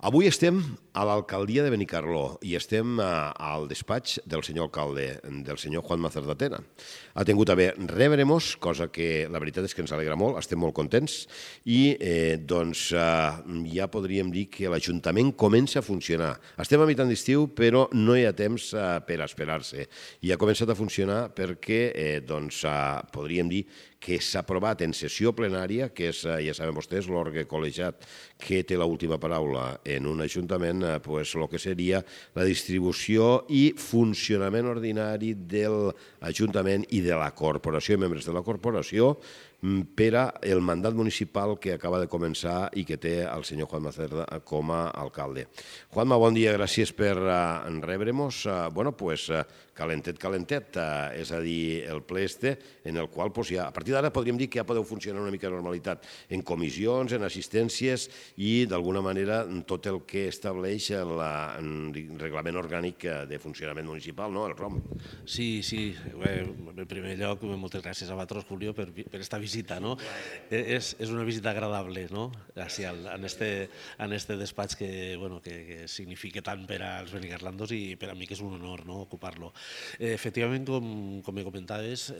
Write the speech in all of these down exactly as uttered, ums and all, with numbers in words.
Avui estem a l'alcaldia de Benicarló i estem al despatx del senyor alcalde, del senyor Juanma Cerdatena. Ha tingut a bé rebre-nos, cosa que la veritat és que ens alegra molt, estem molt contents i eh, doncs eh, ja podríem dir que l'Ajuntament comença a funcionar. Estem a mitjan d'estiu però no hi ha temps eh, per esperar-se i ha començat a funcionar perquè eh, doncs, eh, podríem dir que s'ha aprovat en sessió plenària, que és, ja saben vostès, l'òrgan col·legiat que té l'última paraula en un ajuntament, pues, el que seria la distribució i funcionament ordinari de l'Ajuntament i de la corporació i membres de la corporació per al mandat municipal que acaba de començar i que té el senyor Juanma Cerda com a alcalde. Juanma, bon dia, gràcies per rebre-nos. Bueno, pues, calentet, calentet, és a dir, el ple este, en el qual, pues, ja, a partir d'ara podríem dir que ja podeu funcionar una mica de normalitat en comissions, en assistències i, d'alguna manera, tot el que estableix el reglament orgànic de funcionament municipal, no?, el R O M. Sí, sí. En primer lloc, moltes gràcies a vosaltres, Julio, per esta visita, no? És una visita agradable, no?, en este despatx que significa tant per als benicarlandos i per a mi que és un honor ocupar-lo. Efectivament, com me comentaves,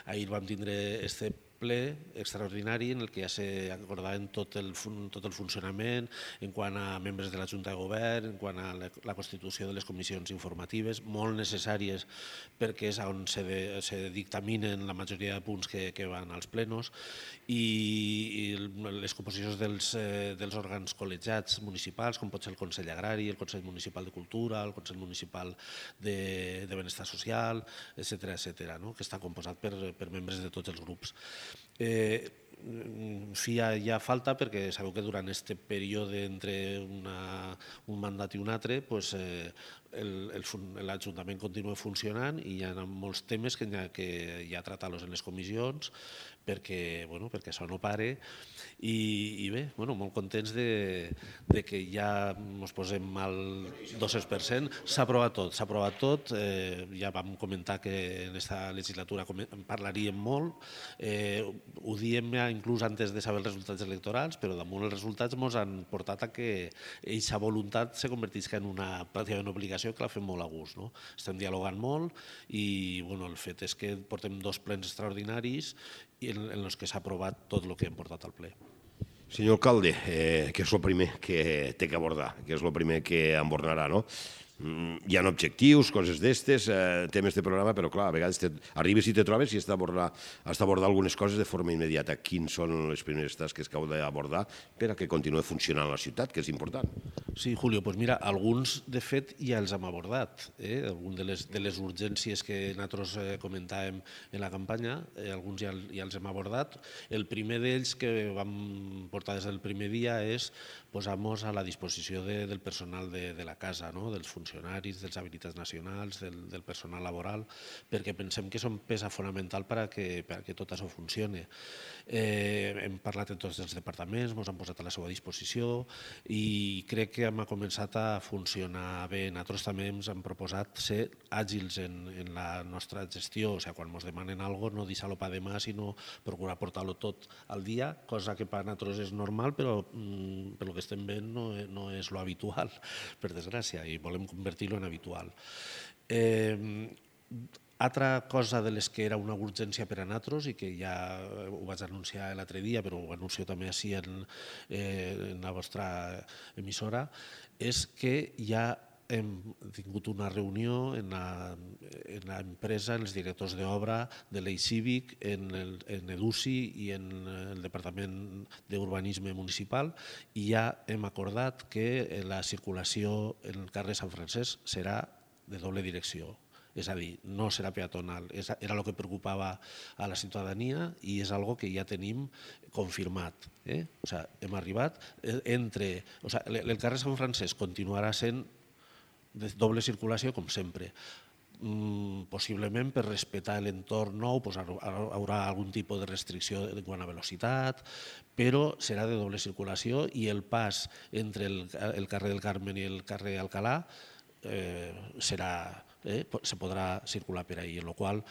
ahir vam tindre este ple extraordinari en el que ja s'acordaven tot el funcionament en quant a membres de la Junta de Govern, en quant a la constitució de les comissions informatives, molt necessàries perquè és on se dictaminen la majoria de punts que van als plenos, i les composicions dels òrgans col·legiats municipals, com pot ser el Consell Agrari, el Consell Municipal de Cultura, el Consell Municipal de Benestar Social, etcètera, que està composat per membres de tots els grups. Hi ha falta perquè sabeu que durant aquest període entre un mandat i un altre l'Ajuntament continua funcionant i hi ha molts temes que hi ha tratar-los en les comissions perquè això no pare i bé, molt contents que ja ens posem al dos-cents per cent. S'ha aprovat tot, s'ha aprovat tot, ja vam comentar que en aquesta legislatura en parlaríem molt, ho diem inclús antes de saber els resultats electorals, però damunt els resultats ens han portat a que aquesta voluntat se convertisca en una pràcticament obligació que la fem molt a gust. Estem dialogant molt i el fet és que portem dos plens extraordinaris en els que s'ha aprovat tot el que hem portat al ple. Senyor alcalde, què és el primer que té que abordar? Què és el primer que embornarà, no? Hi ha objectius, coses d'estes, temes de programa, però clar, a vegades arribes i te trobes i has d'abordar algunes coses de forma immediata. Quins són les primeres tasques que heu d'abordar per a que continuï funcionant la ciutat, que és important? Sí, Julio, doncs mira, alguns de fet ja els hem abordat. Algunes de les urgències que nosaltres comentàvem en la campanya, alguns ja els hem abordat. El primer d'ells que vam portar des del primer dia és posar-nos a la disposició del personal de la casa, dels funcionaris, dels habilitats nacionals, del personal laboral, perquè pensem que són peça fonamental perquè tot això funcioni. Hem parlat amb tots els departaments, ens han posat a la seva disposició i crec que hem començat a funcionar bé. Nosaltres també ens hem proposat ser àgils en la nostra gestió, o sigui, quan ens demanen alguna cosa, no deixar-lo per demà, sinó procurar portar-lo tot al dia, cosa que per nosaltres és normal, però pel que estem veient no és lo habitual, per desgràcia, i volem convertir-lo en habitual. Altra cosa de les que era una urgència per a nosaltres i que ja ho vaig anunciar l'altre dia, però ho anuncio també així en la vostra emissora, és que ja hem tingut una reunió en l'empresa, en els directors d'obra de l'Eix Cívic, en EDUCI i en el Departament d'Urbanisme Municipal i ja hem acordat que la circulació en el carrer Sant Francesc serà de doble direcció. És a dir, no serà peatonal. Era el que preocupava a la ciutadania i és una cosa que ja tenim confirmat. O sigui, hem arribat entre... O sigui, el carrer Sant Francesc continuarà sent de doble circulació, com sempre. Possiblement per respectar l'entorn nou hi haurà algun tipus de restricció quant a velocitat, però serà de doble circulació i el pas entre el carrer del Carmen i el carrer Alcalà serà eh, se podrà circular per ahí, en la qual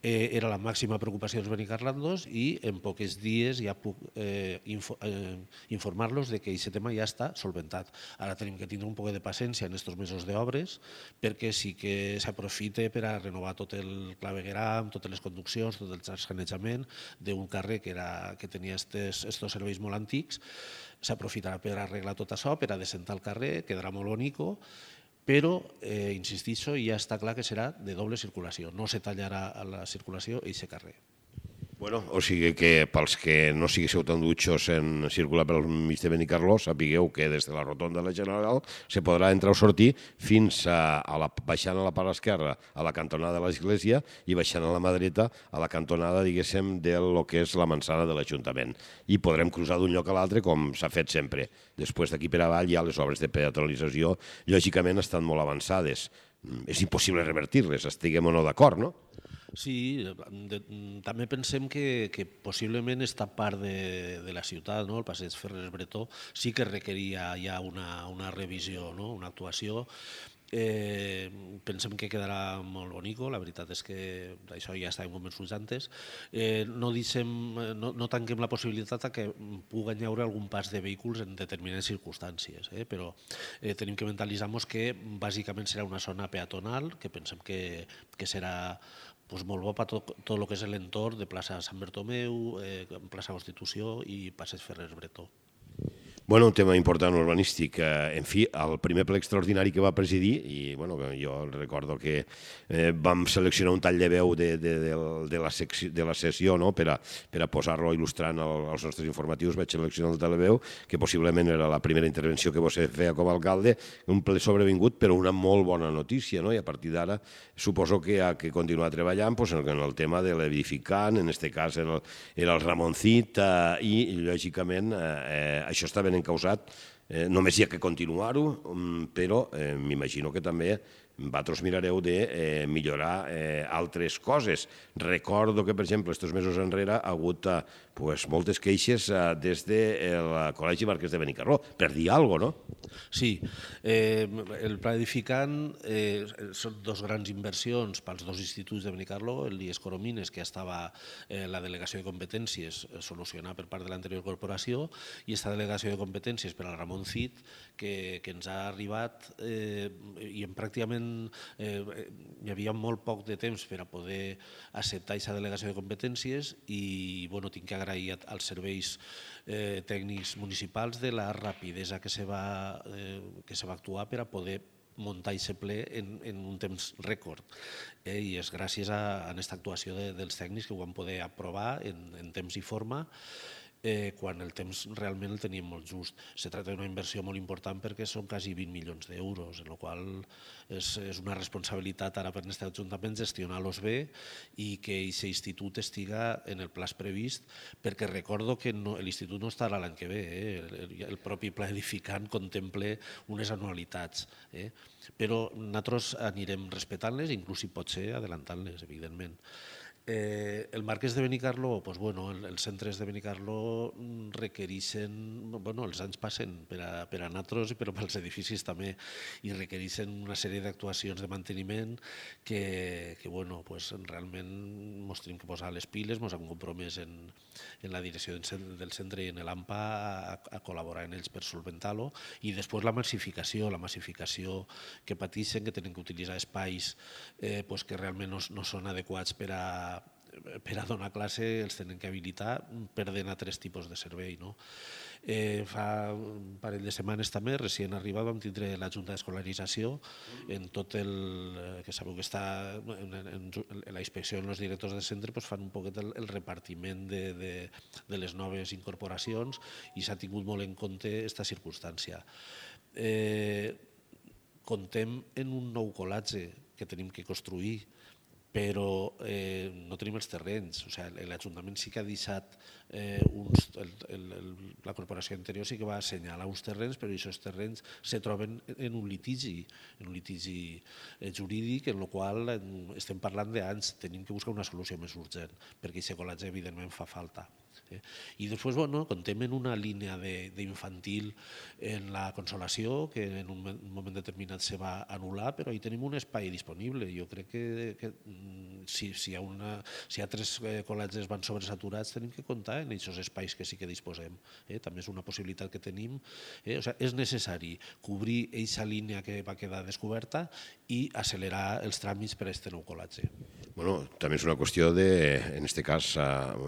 eh, era la màxima preocupació dels benicarlandos i en pocs dies ja puc eh, info, eh, informar-los de que aquest tema ja està solventat. Ara tenim que tindre un poc de paciència en aquests mesos d'obres perquè sí que s'aprofite per a renovar tot el clavegueram, totes les conduccions, tot el sanejament d'un carrer que, era, que tenia estos, estos serveis molt antics, s'aprofitarà per arreglar tot això, per a desentar el carrer, quedarà molt bonico, però, eh, insistixo, ja està clar que serà de doble circulació, no se tallarà a la circulació i aquest carrer. Bueno, o sigui que pels que no siguéssiu tan dutxos en circular pel mig de Benicarló, sapigueu que des de la rotonda de la General se podrà entrar o sortir fins a, a la, baixant a la part esquerra a la cantonada de l'església i baixant a la mà dreta a la cantonada, diguéssim, de lo que és la manzana de l'Ajuntament. I podrem cruzar d'un lloc a l'altre com s'ha fet sempre. Després d'aquí per avall ja les obres de peatonalització lògicament estan molt avançades. És impossible revertir-les, estiguem o no d'acord, no? Sí, de, també pensem que, que possiblement esta part de, de la ciutat, no? El passeig Ferrer Bretó, sí que requeria ja una, una revisió, no? Una actuació. Eh, pensem que quedarà molt bonico, la veritat és que això ja estàvem convençuts antes. Eh, no, deixem, no, no tanquem la possibilitat que pugui haver algun pas de vehicles en determinades circumstàncies, eh? Però eh, tenim que mentalitzar-nos que bàsicament serà una zona peatonal, que pensem que, que serà pues, molt bo per tot, tot el que és l'entorn de plaça Sant Bertomeu, eh, plaça Constitució i passeig Ferrer Bretó. Bueno, un tema important urbanístic. En fi, el primer ple extraordinari que va presidir, i bueno, jo recordo que eh, vam seleccionar un tall de veu de, de, de, de, la, secció, de la sessió, no? per a, per a posar-lo il·lustrant el, als nostres informatius. Vaig seleccionar el tall de veu, que possiblement era la primera intervenció que vostè feia com a alcalde, un ple sobrevingut, però una molt bona notícia, no? I a partir d'ara suposo que ha que continuar treballant pues, en el tema de l'edificant, en aquest cas era el, era el Ramoncit, eh, i lògicament eh, això està ben encausat, eh, només hi ha que continuar-ho, però eh, m'imagino que també vosaltres mirareu de eh, millorar eh, altres coses. Recordo que, per exemple, estos mesos enrere ha hagut eh, pues, moltes queixes eh, des del Col·legi Marquès de Benicarló, per dir alguna cosa, no? Sí, eh, el pla edificant eh, són dos grans inversions pels dos instituts de Benicarló, el I E S Coromines, que ja estava eh, la delegació de competències solucionada per part de l'anterior corporació, i aquesta delegació de competències per al Ramon Cid, que, que ens ha arribat eh, i en pràcticament eh, hi havia molt poc de temps per a poder acceptar aquesta delegació de competències i bueno, tinc que agrair als serveis eh, tècnics municipals de la rapidesa que se va, eh, que se va actuar per a poder muntar aquest ple en, en un temps rècord. Eh, I és gràcies a, a aquesta actuació de, dels tècnics que ho van poder aprovar en, en temps i forma, eh, quan el temps realment el teníem molt just. Se tracta d'una inversió molt important perquè són quasi vint milions d'euros, en la qual és, és una responsabilitat ara per aquest Ajuntament gestionar-los bé i que aquest institut estiga en el plaç previst, perquè recordo que no, l'institut no estarà l'any que ve, eh? el, el propi pla edificant contempla unes anualitats, eh? Però nosaltres anirem respectant-les, inclús si pot ser adelantant-les, evidentment. Eh, el Marquès de Benicarló, pues bueno, el, els centres de Benicarló requereixen, bueno, els anys passen per a, per a nosaltres, però pels edificis també, i requereixen una sèrie d'actuacions de manteniment que, que bueno, pues realment ens tenim que posar les piles, ens hem compromès en, en la direcció del centre i en l'AMPA a, a col·laborar en ells per solventar-lo, i després la massificació, la massificació que pateixen, que tenen que utilitzar espais eh, pues que realment no, no són adequats per a per a donar classe, els tenen que habilitar perdent a tres tipus de servei. No? Eh, fa un parell de setmanes també, recient arribat, vam tindre la Junta d'Escolarització en tot el... que sabeu que està en, en, en la inspecció en els directors de centre, pues fan un poquet el, el repartiment de, de, de les noves incorporacions i s'ha tingut molt en compte aquesta circumstància. Eh, contem en un nou col·latge que tenim que construir, però eh, no tenim els terrenys. O sigui, l'Ajuntament sí que ha deixat eh, uns, el, el, el, la corporació anterior sí que va assenyalar uns terrenys, però aquests terrenys se troben en un litigi, en un litigi jurídic, en el qual estem parlant d'anys, tenim que buscar una solució més urgent, perquè aquest col·latge evidentment fa falta. Eh? I després, bueno, contem en una línia d'infantil en la Consolació, que en un moment determinat se va anul·lar, però hi tenim un espai disponible. Jo crec que, que si, si, hi ha una, si hi ha tres col·legis van sobresaturats, tenim que comptar en aquests espais que sí que disposem. Eh? També és una possibilitat que tenim. Eh? O sigui, és necessari cobrir aquesta línia que va quedar descoberta i accelerar els tràmits per a aquest nou col·legi. Bueno, també és una qüestió de, en aquest cas,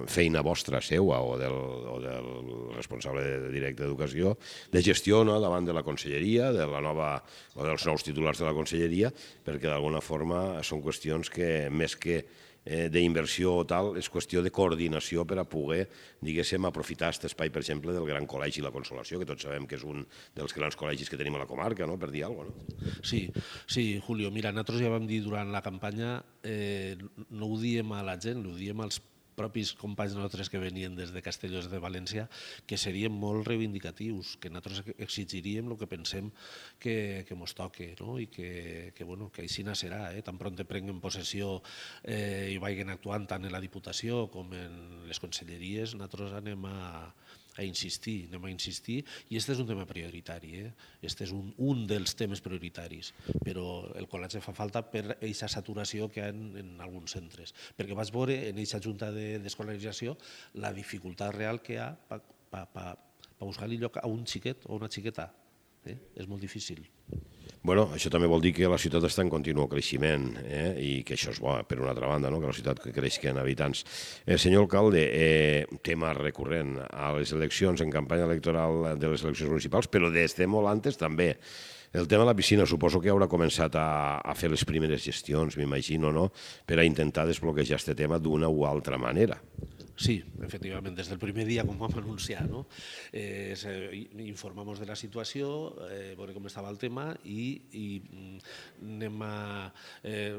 feina vostra, seua, o del, o del responsable directe d'Educació, de gestió, no?, davant de la conselleria, de la nova, o dels nous titulars de la conselleria, perquè d'alguna forma són qüestions que, més que eh, d'inversió o tal, és qüestió de coordinació per a poder, diguéssim, aprofitar aquest espai, per exemple, del Gran Col·legi La Consolació, que tots sabem que és un dels grans col·legis que tenim a la comarca, no?, per dir alguna cosa, no? Sí, sí, Julio, mira, nosaltres ja vam dir durant la campanya, eh, no ho diem a la gent, ho diem als propis companys nostres que venien des de Castelló de València, que serien molt reivindicatius, que nosaltres exigiríem el que pensem que, que mos toque, no? I que, que, bueno, que així serà, eh? Tan pront prenguen possessió eh, i vagin actuant tant en la Diputació com en les conselleries, nosaltres anem a a insistir, anem a insistir, i aquest és un tema prioritari, eh? Aquest és un, un dels temes prioritaris, però el col·legi fa falta per aquesta saturació que hi ha en, en alguns centres, perquè vaig veure en aquesta junta d'escolarització la dificultat real que hi ha per pa, pa, pa buscar-li lloc a un xiquet o una xiqueta. Eh? És molt difícil. Bueno, això també vol dir que la ciutat està en continu creixement, eh? I que això és bo, per una altra banda, no?, que la ciutat creixi en habitants. Eh, senyor alcalde, eh, tema recurrent a les eleccions, en campanya electoral de les eleccions municipals, però des de molt antes també. El tema de la piscina, suposo que haurà començat a, a fer les primeres gestions, m'imagino, no?, per a intentar desbloquejar aquest tema d'una o altra manera. Sí, efectivament, des del primer dia, com vam anunciar, no? eh, informamos de la situació, eh, veure com estava el tema i, i anem a... Eh,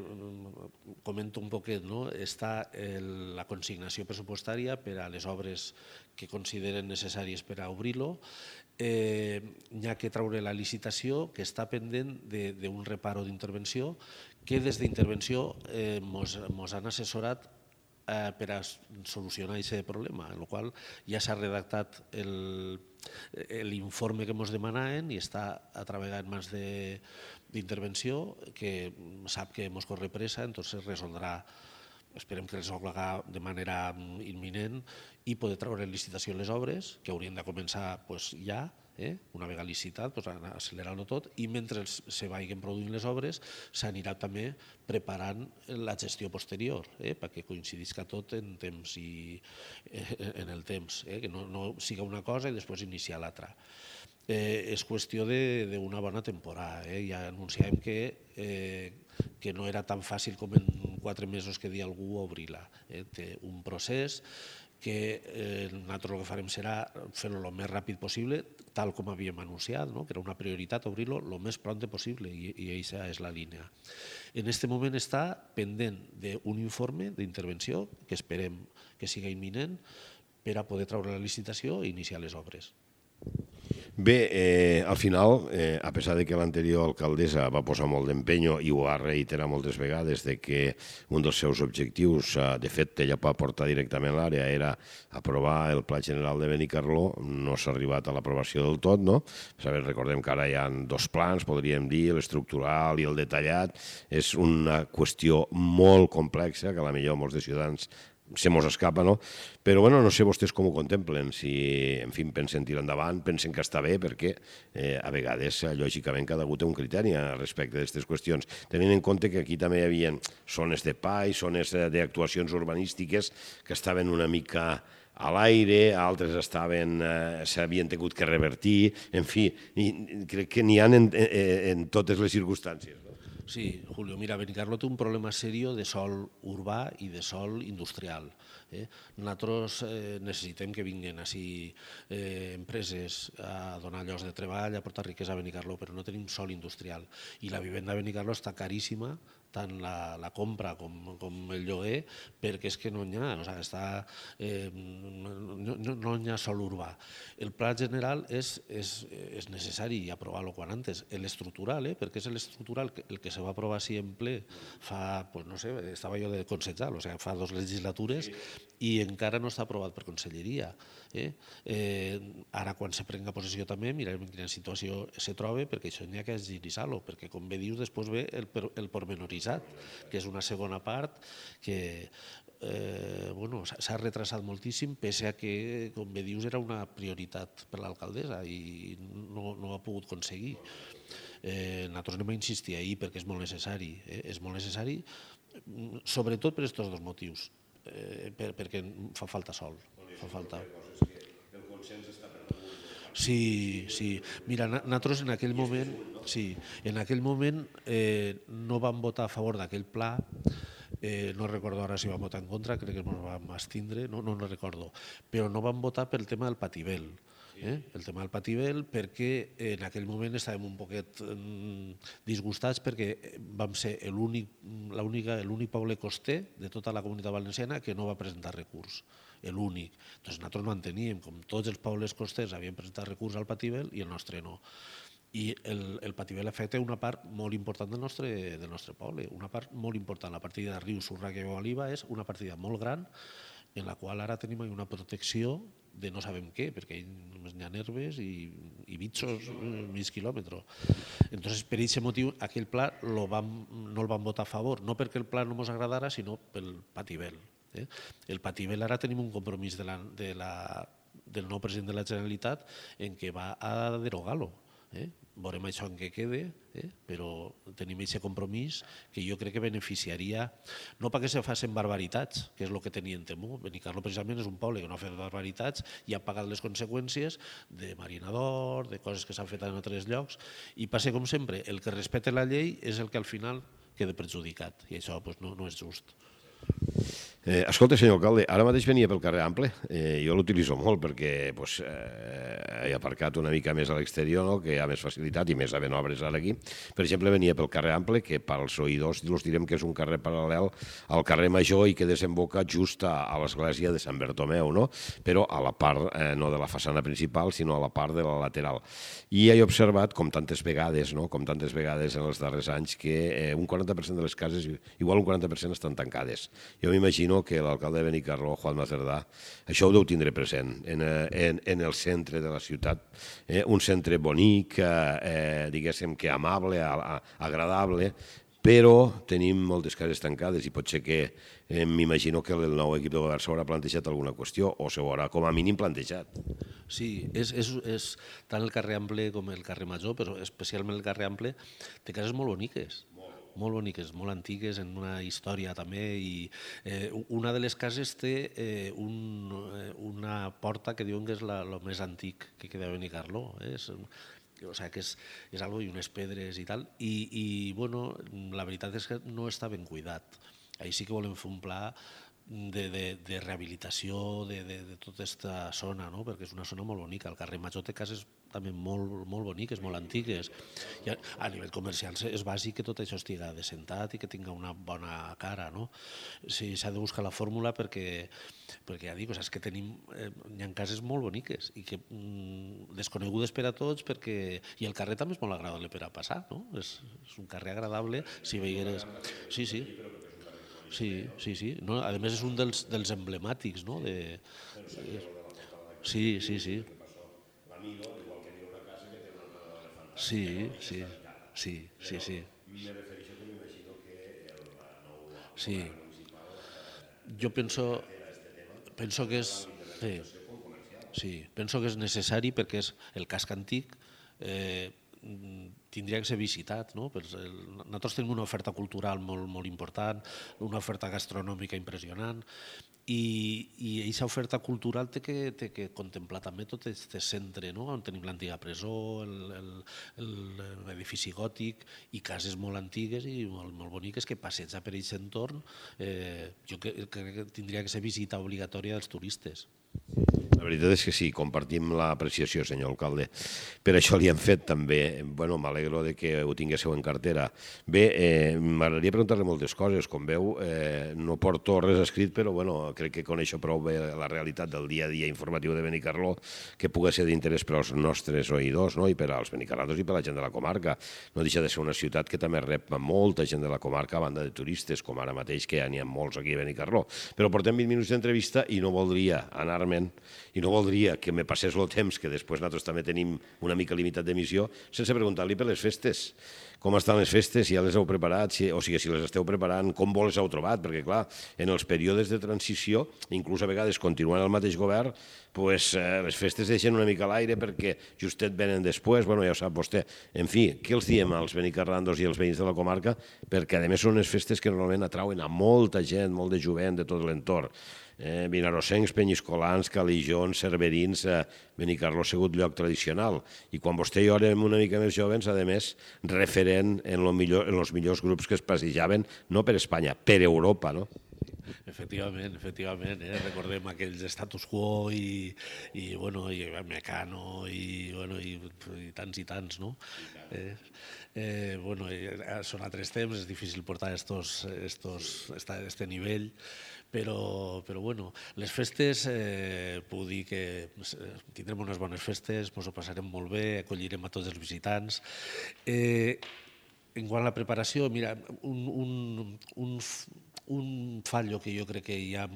comento un poquet, no? Està el, la consignació pressupostària per a les obres que consideren necessàries per a obrir-lo. Eh, n'hi ha que treure la licitació, que està pendent d'un reparo d'intervenció, que des d'intervenció eh, mos, mos han assessorat per a solucionar aquest problema, en el qual ja s'ha redactat l'informe que ens demanaven i està a treballar en mans d'intervenció, que sap que ens corre pressa, entonces resoldrà, esperem que resolga de manera imminent i poder treure en licitació les obres, que haurien de començar ja, Eh? una vegada licitat, pues, accelerant-ho tot, i mentre se vagin produint les obres s'anirà també preparant la gestió posterior, eh? perquè coincidisca tot en temps i en el temps, eh? que no, no siga una cosa i després iniciar l'altra. Eh, és qüestió d'una bona temporada, eh? ja anunciàvem que, eh, que no era tan fàcil com en quatre mesos que dia algú obrir-la. Eh? Té un procés que eh, nosaltres el que farem serà fer-lo el més ràpid possible, tal com havíem anunciat, no? que era una prioritat obrir-lo el més pront possible, i, i aquesta és la línia. En aquest moment està pendent d'un informe d'intervenció que esperem que siga imminent per a poder treure la licitació i iniciar les obres. Bé, eh, al final, eh, a pesar de que l'anterior alcaldessa va posar molt d'empenyo i ho ha reiterat moltes vegades de que un dels seus objectius, eh, de fet, ella va portar directament a l'àrea, era aprovar el Pla General de Benicarló, no s'ha arribat a l'aprovació del tot, no? Saber, recordem que ara hi ha dos plans, podríem dir, l'estrictural i el detallat. És una qüestió molt complexa que a la millor molts de ciutadans se mos escapa, no? Però, bueno, no sé vostès com ho contemplen, si, en fi, pensen tirar endavant, pensen que està bé, perquè eh, a vegades, lògicament, cada algú té un criteri respecte d'aquestes qüestions, tenint en compte que aquí també hi havia zones de pa i zones d'actuacions urbanístiques que estaven una mica a l'aire, altres estaven, eh, s'havien tingut que revertir, en fi, i crec que n'hi ha en, en, en totes les circumstàncies, no? Sí, Julio, mira, Benicarló té un problema serio de sòl urbà i de sòl industrial. Eh? Nosaltres eh, necessitem que vinguin així eh, empreses a donar llocs de treball, a portar riquesa a Benicarló, però no tenim sòl industrial. I la vivenda a Benicarló està caríssima, tant la, la compra com, com el lloguer, perquè és que no n'hi ha, o sigui, està, eh, no, no, no n'hi ha sòl urbà. El pla general és, és, és necessari aprovar-lo quan antes, l'estrictural, eh, perquè és l'estrictural el que se va aprovar així en ple fa, pues no sé, estava jo de consellar, o sigui, fa dos legislatures, i encara no està aprovat per Conselleria. Eh? Eh, ara, quan se prenga possessió també, mirarem en quina situació se troba, perquè això n'hi ha que agilitzar-lo, perquè, com bé dius, després ve el, el pormenoritzat, que és una segona part que eh, bueno, s'ha retrasat moltíssim, pese a que, com bé dius, era una prioritat per l'alcaldessa i no, no ho ha pogut aconseguir. Eh, nosaltres anem a insistir ahir perquè és molt necessari. Eh? És molt necessari, sobretot per aquests dos motius, eh, per, perquè fa falta sol. Fa falta. Sí, sí. Mira, nosaltres en aquell moment, sí, en aquell moment eh, no vam votar a favor d'aquell pla. Eh, no recordo ara si vam votar en contra, crec que ens vam abstindre, no, no, no recordo, però no vam votar pel tema del Pativel. Eh? El tema del Pativel, perquè en aquell moment estàvem un poquet disgustats perquè vam ser l'únic poble coster de tota la comunitat valenciana que no va presentar recurs, l'únic. Doncs nosaltres no enteníem, com tots els pobles costers havien presentat recurs al Pativel i el nostre no. I el, el Pativel afecta una part molt important del nostre, del nostre poble, una part molt important. La partida de Riu, Surraca i Oliva és una partida molt gran en la qual ara tenim una protecció de no sabem què, perquè només n'hi ha herbes i, i bitxos mig quilòmetre. Entonces, per aquest motiu, aquell pla lo vam, no el vam votar a favor, no perquè el pla no ens agradara, sinó pel Pativel. Eh? El Pativel ara tenim un compromís de la, de la, del nou president de la Generalitat en què va a derogar-lo. Eh? Veurem això en què quede, eh? Però tenim aquest compromís que jo crec que beneficiaria, no perquè se facin barbaritats, que és el que tenien temor. Benicarló precisament és un poble que no ha fet barbaritats i ha pagat les conseqüències de marinador, de coses que s'han fet en altres llocs, i passa com sempre, el que respecta la llei és el que al final queda perjudicat, i això pues, no, no és just. Eh, escolta, senyor alcalde, ara mateix venia pel carrer Ample, eh, jo l'utilitzo molt perquè pues, eh, he aparcat una mica més a l'exterior, no? Que hi ha més facilitat i més havent obres ara aquí. Per exemple, venia pel carrer Ample, que pels oïdors els direm que és un carrer paral·lel al carrer Major i que desemboca just a, a l'església de Sant Bertomeu, no? Però a la part, eh, no de la façana principal, sinó a la part de la lateral. I he observat, com tantes vegades, no? com tantes vegades en els darrers anys, que eh, un quaranta per cent de les cases, igual un quaranta per cent estan tancades. Jo m'imagino que l'alcalde de Benicarló, Juanma Cerdà, això ho deu tindre present en, en, en el centre de la ciutat. Eh? Un centre bonic, eh, diguéssim que amable, a, a, agradable, però tenim moltes cases tancades i pot ser que eh, m'imagino que el nou equip de govern s'haurà plantejat alguna qüestió o s'haurà com a mínim plantejat. Sí, és, és, és tant el carrer Ample com el carrer Major, però especialment el carrer Ample, té cases molt boniques. molt boniques, molt antigues, en una història també, i eh, una de les cases té eh, un, una porta que diuen que és la, el més antic que queda a Benicarló. Eh? És, o sigui, que és, és algo i unes pedres i tal, i, i bueno, la veritat és que no està ben cuidat. Ahí sí que volem fer un pla de, de, de rehabilitació de, de, de tota aquesta zona, no? Perquè és una zona molt bonica. El carrer Major té cases també molt, molt boniques, molt antigues. I a, a nivell comercial és bàsic que tot això estigui descentat i que tingui una bona cara, no? Sí, s'ha de buscar la fórmula perquè, perquè ja dic, o sigui, és que tenim, eh, hi ha cases molt boniques i que mm, desconegudes per a tots, perquè, i el carrer també és molt agradable per a passar, no? És, és un carrer agradable, si veieres... Sí, sí. Sí, sí, sí. No, a més és un dels, dels emblemàtics, no? De... Sí, sí, sí. Sí, sí, sí, sí, sí. Sí. Jo penso, penso que és... Sí, sí, penso que és necessari perquè és el casc antic, eh, tindria que ser visitat, no? Nosaltres tenim una oferta cultural molt, molt important, una oferta gastronòmica impressionant, i, i aquesta oferta cultural té que, té que contemplar també tot aquest centre, no? On tenim l'antiga presó, l'edifici gòtic i cases molt antigues i molt, molt boniques que passejar per aquest entorn, eh, jo crec que tindria que ser visita obligatòria dels turistes. La La veritat és que sí, compartim l'apreciació, senyor alcalde. Per això li hem fet també, bueno, m'alegro de que ho tinguéssiu en cartera. Bé, eh, m'agradaria preguntar-li moltes coses. Com veu, eh, no porto res escrit, però bueno, crec que coneixo prou bé la realitat del dia a dia informatiu de Benicarló, que pugui ser d'interès per als nostres oïdors, no? I per als benicarlatos i per a la gent de la comarca. No deixa de ser una ciutat que també rep molta gent de la comarca a banda de turistes, com ara mateix, que n'hi ha molts aquí a Benicarló. Però portem vint minuts d'entrevista i no voldria anar-me'n, i no voldria que me passés el temps, que després nosaltres també tenim una mica limitat d'emissió, sense preguntar-li per les festes. Com estan les festes, si ja les heu preparat, si, o sigui, si les esteu preparant, com vos les heu trobat, perquè clar, en els períodes de transició, inclús a vegades continuant el mateix govern, pues, eh, les festes deixen una mica a l'aire perquè justet venen després, bueno, ja ho sap vostè. En fi, què els diem als benicarrandos i als veïns de la comarca? Perquè a més són unes festes que normalment atrauen a molta gent, molt de jovent de tot l'entorn. Eh, vinarossencs, penyiscolans, calijons, cerverins, eh, Benicarló ha sigut lloc tradicional. I quan vostè i jo érem una mica més jovens, a més, referent en, lo millor, en els millors grups que es passejaven, no per Espanya, per Europa, no? Efectivament, efectivament, eh? Recordem aquells status quo i, i, bueno, i Mecano i, bueno, i, i tants i tants, no? Eh, eh, bueno, són altres temps, és difícil portar estos, estos, esta, este nivell, però, però bueno, les festes, eh, puc dir que tindrem unes bones festes, ens ho passarem molt bé, acollirem a tots els visitants. Eh, en quant a la preparació, mira, un, un, un Un fallo que jo crec que ja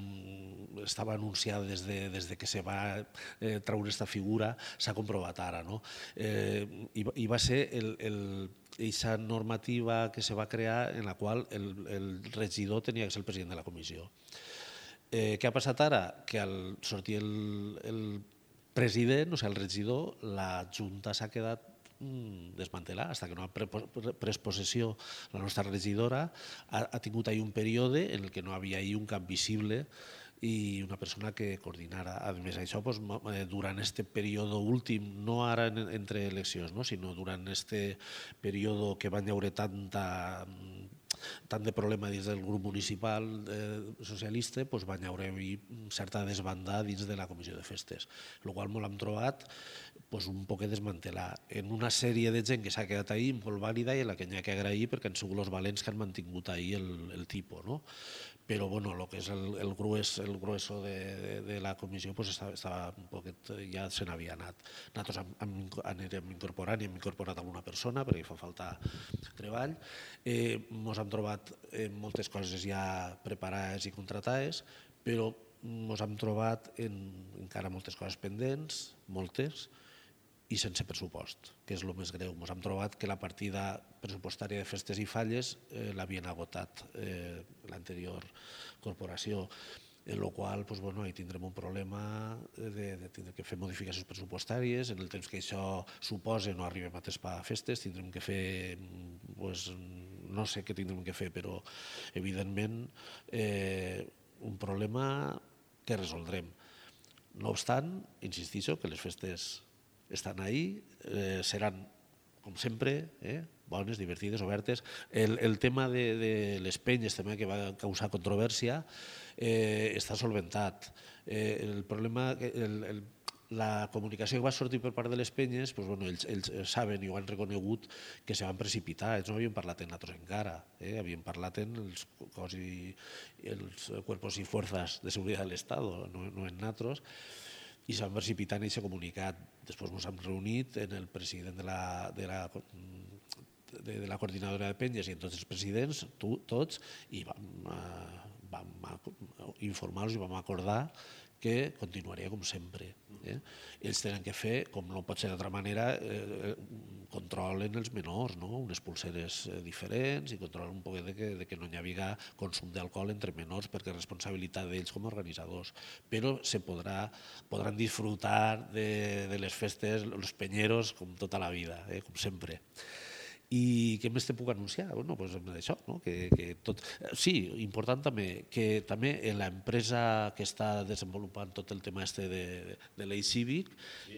estava anunciat des de, des de que se va eh, treure aquesta figura, s'ha comprovat ara, no? Eh, i, I va ser aquesta normativa que se va crear en la qual el, el regidor tenia que ser el president de la comissió. Eh, què ha passat ara? Que al sortir el, el president, o sigui, el regidor, la Junta s'ha quedat desmantelar, fins que no ha pres possessió la nostra regidora, ha, ha tingut ahir un període en el que no havia ahir un cap visible i una persona que coordinara. A més, això doncs, durant aquest període últim, no ara en, entre eleccions, no? Sinó durant aquest període que van haure tanta tant de problema dins del grup municipal eh, socialista, doncs van haure certa desbandada dins de la comissió de festes, el qual molt hem trobat pues, un poc desmantelar en una sèrie de gent que s'ha quedat ahí molt vàlida i a la que n'hi ha que agrair perquè han sigut els valents que han mantingut ahí el, el tipus, no? Però bueno, el que és el, el, grues, el grueso de, de, de la comissió pues, estava, estava un poquet, ja se n'havia anat. Nosaltres anirem incorporant i hem incorporat alguna persona perquè fa falta treball. Eh, ens hem trobat eh, moltes coses ja preparades i contratades, però ens hem trobat en, encara moltes coses pendents, moltes, i sense pressupost, que és el més greu. Ens hem trobat que la partida pressupostària de festes i falles eh, l'havien agotat eh, l'anterior corporació, en la qual pues, bueno, hi tindrem un problema de, de tindre que fer modificacions pressupostàries, en el temps que això suposa no arribem a tespar festes, tindrem que fer, pues, no sé què tindrem que fer, però evidentment eh, un problema que resoldrem. No obstant, insistixo que les festes estan ahí, eh, seran, com sempre, eh, bones, divertides, obertes. El, el tema de, de les penyes també, que va causar controvèrsia, eh, està solventat. Eh, el problema, el, el, la comunicació que va sortir per part de les penyes, pues, bueno, ells, ells saben i ho han reconegut que se van precipitar, ells no havien parlat en nosaltres encara, eh, havien parlat en els cos i els cuerpos i fuerzas de seguretat de l'Estat, no, no en nosaltres, i s'han precipitat en aquest comunicat. Després ens hem reunit en el president de la, de la, de, de la coordinadora de penyes i en tots els presidents, tu, tots, i vam, eh, vam informar-los i vam acordar que continuaria com sempre. Eh? Ells tenen que fer, com no pot ser d'altra manera, eh, controlen els menors, no? Unes pulseres diferents i controlen un poc de que, de que no hi havia consum d'alcohol entre menors perquè és responsabilitat d'ells com a organitzadors. Però se podrà, podran disfrutar de, de les festes, els penyeros, com tota la vida, eh? Com sempre. I què més te puc anunciar? Bueno, pues això, no? que, que tot... Sí, important també, que també en l'empresa que està desenvolupant tot el tema este de, de l'Eix Cívic,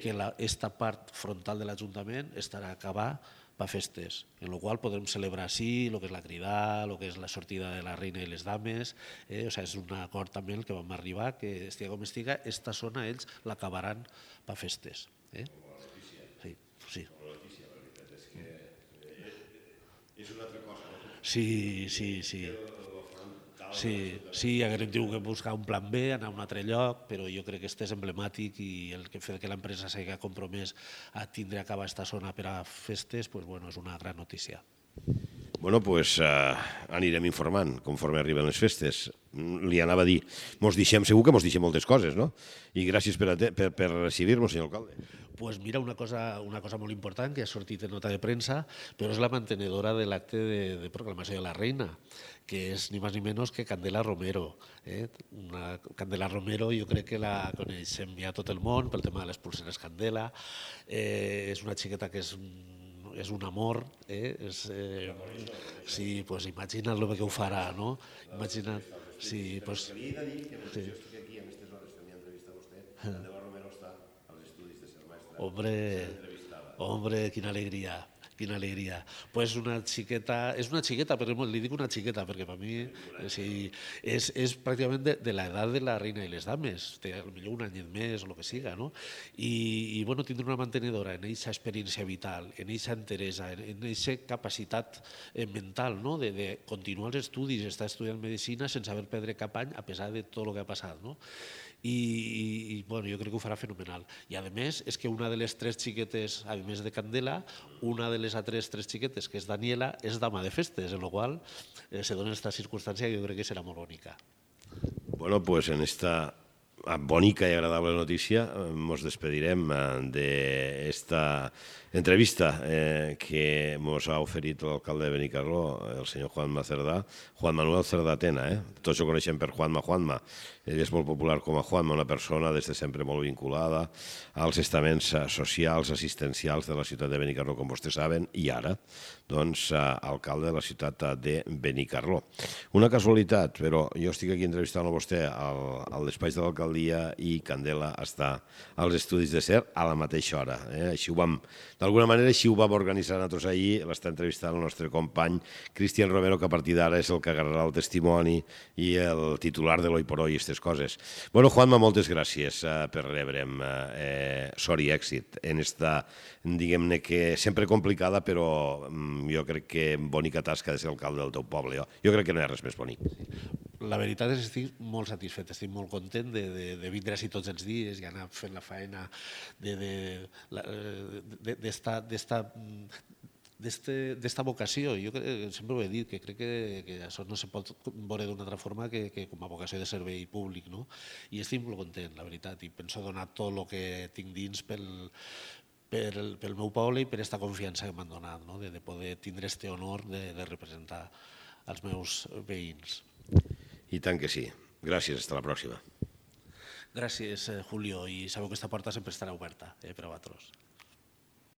que la, esta part frontal de l'Ajuntament estarà a acabar per festes, en la qual podrem celebrar sí el que és la cridada, el que és la sortida de la reina i les dames, eh? O sigui, és un acord també el que vam arribar, que estiga com estiga, esta zona ells l'acabaran per festes. Eh? Sí, sí. És una altra cosa. Sí, sí, sí. Sí, sí, haguem tingut que buscar un plan B, anar a un altre lloc, però jo crec que este és emblemàtic i el que fet que l'empresa s'hagi compromès a tindre a acabar esta zona per a festes, pues, bueno, és una gran notícia. Bueno, doncs pues, uh, anirem informant conforme arriben les festes. Li anava a dir, mos deixem, segur que mos deixem moltes coses, no? I gràcies per, per, per recibir-nos, senyor alcalde. Pues mira, una cosa, una cosa molt important que ha sortit en nota de premsa, però és la mantenedora de l'acte de, de proclamació de la reina, que és ni més ni menys que Candela Romero. Eh? Una Candela Romero jo crec que la coneixem ja tot el món pel tema de les pulseres Candela. Eh, és una xiqueta que és és un amor, eh? És, eh, sí, pues imagina't el que ho farà, no? Imagina't, sí, pues... Li he de dir que mentre jo estic aquí, a aquestes hores, fent mi entrevista a vostè, Candela Romero està als estudis de ser mestra. Hombre, hombre, quina alegria, quina alegria. Pues una xiqueta, és una xiqueta, però li dic una xiqueta, perquè per mi sí, és, és pràcticament de, de l'edat de la reina i les dames, té potser un anyet més o el que siga, no? I, i bueno, tindre una mantenedora en aquesta experiència vital, en aquesta enteresa, en aquesta capacitat mental, no? de, de continuar els estudis, estar estudiant medicina sense haver perdre cap any a pesar de tot el que ha passat, no? I, i bueno, jo crec que ho farà fenomenal. I a més, és que una de les tres xiquetes, a més de Candela, una de les altres tres xiquetes, que és Daniela, és dama de festes, en la qual eh, se dona aquesta circumstància que jo crec que serà molt bonica. Bueno, pues en esta bonica y agradable noticia nos despedirem de esta entrevista eh, que nos ha oferido el alcalde de Benicarló, el senyor Juanma Cerdà, Juan Manuel Cerdà Tena. Eh? Tots ho coneixem per Juanma Juanma. Ell és molt popular com a Juanma, una persona des de sempre molt vinculada als estaments socials, assistencials de la ciutat de Benicarló, com vostès saben, i ara, doncs, alcalde de la ciutat de Benicarló. Una casualitat, però jo estic aquí entrevistant a vostè al, al despatx de l'alcaldia i Candela està als estudis de SER a la mateixa hora. Eh? Així ho vam, d'alguna manera, així ho vam organitzar nosaltres ahir. L'està entrevistant el nostre company Cristian Romero, que a partir d'ara és el que agarrarà el testimoni i el titular de l'Hoy por Hoy i aquestes coses. Bueno, Juanma, moltes gràcies eh, per rebre'm. Eh, sort i èxit en esta, diguem-ne que sempre complicada, però mm, jo crec que bonica tasca de ser alcalde del teu poble. Jo, jo crec que no hi ha res més bonic. La veritat és que estic molt satisfet, estic molt content de, de, de vindre així tots els dies i anar fent la feina d'esta d'esta vocació. Jo sempre ho he dit, que crec que, que això no se pot veure d'una altra forma que, que com a vocació de servei públic, no? I estic molt content, la veritat, i penso donar tot el que tinc dins pel, pel, pel meu poble i per aquesta confiança que m'han donat, no? de, de poder tindre este honor de, de representar els meus veïns. I tant que sí. Gràcies, fins la pròxima. Gràcies, Julio, i sabeu que aquesta porta sempre estarà oberta eh, per a vosaltres.